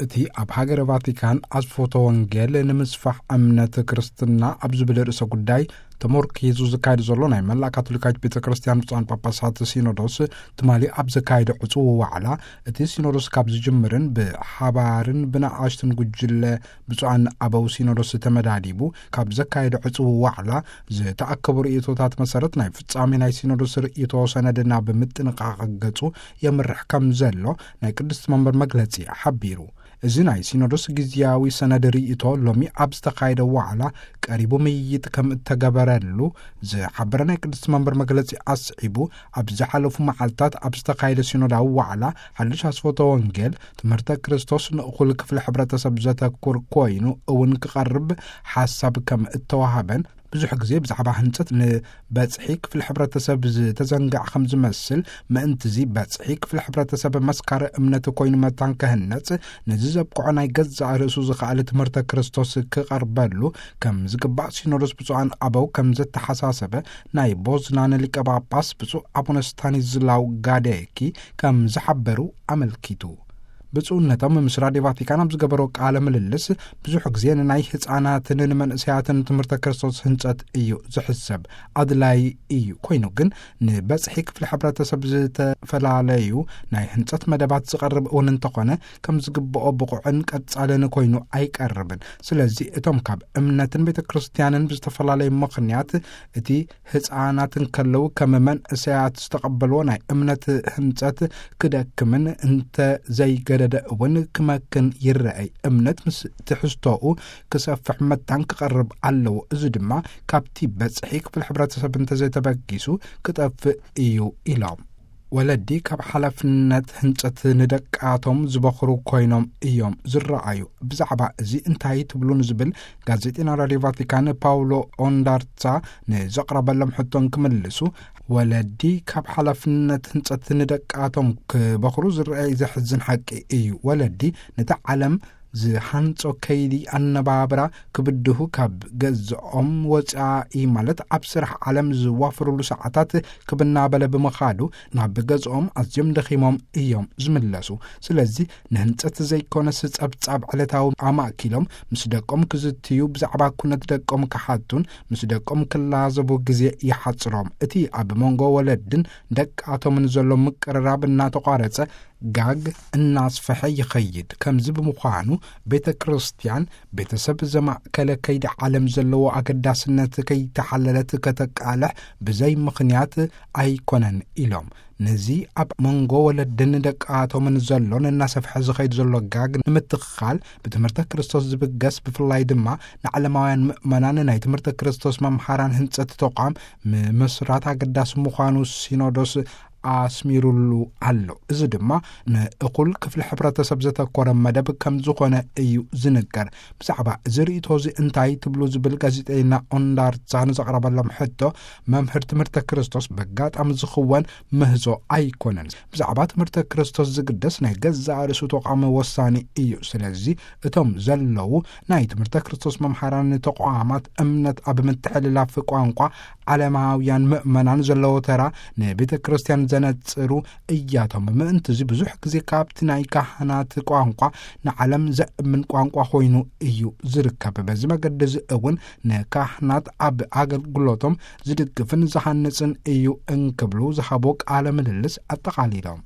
እቲ ኣብ ሃገረ ቫቲካን ኣስፎቶ ወንጌል ንምስፋሕ እምነት ክርስትና ኣብ ዝብል ርእሰ ጉዳይ ተመርኪዙ ዝካየድ ዘሎ ናይ መላእ ካቶሊካዊት ቤተ ክርስቲያን ብፁዓን ጳጳሳት ሲኖዶስ ትማሊ ኣብ ዘካየደ ዕጹው ዋዕላ፣ እቲ ሲኖዶስ ካብ ዝጅምርን ብሓባርን ብንኣሽትን ጉጅለ ብፁዓን ኣበው ሲኖዶስ ተመዳዲቡ ካብ ዘካየደ ዕጹው ዋዕላ ዝተኣከቡ ርእይቶታት መሰረት ናይ ፍጻሜ ናይ ሲኖዶስ ርእይቶ ሰነድና ብምጥንቃቕ ገጹ የምርሕ ከም ዘሎ ናይ ቅድስቲ መንበር መግለጺ ሓቢሩ። እዚ ናይ ሲኖዶስ ግዝያዊ ሰነድ ርእይቶ ሎሚ ኣብ ዝተኻየደ ዋዕላ ቀሪቡ ምይይጥ ከም እተገበረሉ ዝሓበረ ናይ ቅድስቲ መንበር መግለጺ ኣስዒቡ፣ ኣብ ዝሓለፉ መዓልታት ኣብ ዝተኻየደ ሲኖዳዊ ዋዕላ ሓድሽ ኣስፎቶ ወንጌል ትምህርተ ክርስቶስ ንእኹል ክፍሊ ሕብረተሰብ ዘተኩር ኮይኑ እውን ክቐርብ ሓሳብ ከም እተዋሃበን፣ ብዙሕ ግዜ ብዛዕባ ህንጸት ንበጽሒ ክፍሊ ሕብረተሰብ ዝተዘንግዕ ከም ዝመስል፣ ምእንትዚ በጽሒ ክፍሊ ሕብረተሰብ መስካሪ እምነት ኮይኑ መታን ክህነጽ፣ ነዚ ዘብቅዖ ናይ ገዛእ ርእሱ ዝኸኣለ ትምህርተ ክርስቶስ ክቐርበሉ ከም ዝግባእ ሲኖዶስ ብፁዓን ኣበው ከም ዘተሓሳሰበ ናይ ቦዝናን ሊቀ ጳጳስ ብፁዕ ኣቡነ ስታኒዝላው ጋዴኪ ከም ዝሓበሩ ኣመልኪቱ። ብፁዕነቶም ምስ ራድዮ ቫቲካን ኣብ ዝገበሮ ቃለ ምልልስ፣ ብዙሕ ግዜ ንናይ ህፃናትን ንመንእሰያትን ትምህርተ ክርስቶስ ህንጸት እዩ ዝሕሰብ፣ ኣድላይ እዩ። ኮይኑ ግን ንበጽሒ ክፍሊ ሕብረተሰብ ዝተፈላለዩ ናይ ህንጸት መደባት ዝቐርብ እውን እንተኾነ፣ ከም ዝግብኦ ብቑዕን ቀጻልን ኮይኑ ኣይቀርብን። ስለዚ እቶም ካብ እምነትን ቤተ ክርስቲያንን ብዝተፈላለዩ ምኽንያት እቲ ህፃናት እንከለዉ ከም መንእሰያት ዝተቐበልዎ ናይ እምነት ህንጸት ክደክምን እንተ ዘይገደደ እውን ክመክን ይረኣይ። እምነት ምስ ትሕዝቶኡ ክሰፍሕ መታን ክቐርብ ኣለዎ። እዚ ድማ ካብቲ በጽሒ ክፍሊ ሕብረተሰብ እንተዘይተበጊሱ ክጠፍእ እዩ ኢሎም። ወለዲ ካብ ሓላፍነት ህንጸት ንደቃቶም ዝበኽሩ ኮይኖም እዮም ዝረኣዩ። ብዛዕባ እዚ እንታይ ትብሉ ንዝብል ጋዜጠኛ ራድዮ ቫቲካን ፓውሎ ኦንዳርታ ንዘቕረበሎም ሕቶን ክምልሱ፣ ወለዲ ካብ ሓላፍነት ህንጸት ንደቃቶም ክበኽሩ ዝረኣይ ዘሕዝን ሓቂ እዩ። ወለዲ ነቲ ዓለም ዝሃንጾ ከይዲ ኣነባብራ ክብድሁ፣ ካብ ገዝኦም ወጻኢ ማለት ኣብ ስራሕ ዓለም ዝዋፈሩሉ ሰዓታት ክብናበለ ብምኻዱ ናብ ገዝኦም ኣዝዮም ደኺሞም እዮም ዝምለሱ። ስለዚ ንህንጸት ዘይኮነስ ጸብጻብ ዕለታዊ ኣማእኪሎም ምስ ደቆም ክዝትዩ፣ ብዛዕባ ኩነት ደቆም ክሓቱን ምስ ደቆም ክላዘቡ ግዜ ይሓጽሮም። እቲ ኣብ መንጎ ወለድን ደቃቶምን ዘሎ ምቅርራብ እናተቋረጸ ጋግ እናስፈሐ ይኸይድ። ከምዚ ብምዃኑ ቤተ ክርስቲያን ቤተሰብ ዘማእከለ ከይዲ ዓለም ዘለዎ ኣገዳስነት ከይተሓለለት ከተቃልሕ ብዘይ ምኽንያት ኣይኮነን ኢሎም። ነዚ ኣብ መንጎ ወለድን ደቃቶምን ዘሎን እናሰፍሐ ዝኸይድ ዘሎ ጋግ ንምትኻል ብትምህርተ ክርስቶስ ዝብገስ፣ ብፍላይ ድማ ንዓለማውያን ምእመናን ናይ ትምህርተ ክርስቶስ መምሃራን ህንጸት ተቋም ምምስራት ኣገዳሲ ምዃኑ ሲኖዶስ ኣስሚሩሉ ኣሎ። እዚ ድማ ንእኹል ክፍሊ ሕብረተሰብ ዘተኮረ መደብ ከም ዝኾነ እዩ ዝንገር። ብዛዕባ እዚ ርእይቶ እዚ እንታይ ትብሉ ዝብል ጋዜጠኛ ኦንዳርታ ንዘቕረበሎም ሕቶ፣ መምህር ትምህርተ ክርስቶስ በጋጣሚ ዝኽወን ምህዞ ኣይኮነን። ብዛዕባ ትምህርተ ክርስቶስ ዝግደስ ናይ ገዛእ ርእሱ ተቋም ወሳኒ እዩ። ስለዚ እቶም ዘለዉ ናይ ትምህርተ ክርስቶስ መምሃራን ተቋማት እምነት ኣብ ምትሕልላፍ ቋንቋ ዓለማውያን ምእመናን ዘለዎ ተራ ንቤተ ክርስቲያን ዘነጽሩ እያቶም። ምእንቲ እዚ ብዙሕ ግዜ ካብቲ ናይ ካህናት ቋንቋ ንዓለም ዘእምን ቋንቋ ኮይኑ እዩ ዝርከብ። በዚ መገዲ እዚ እውን ንካህናት ኣብ ኣገልግሎቶም ዝድግፍን ዝሃንጽን እዩ እንክብሉ ዝሃቦ ቃለ ምልልስ ኣጠቓሊሎም።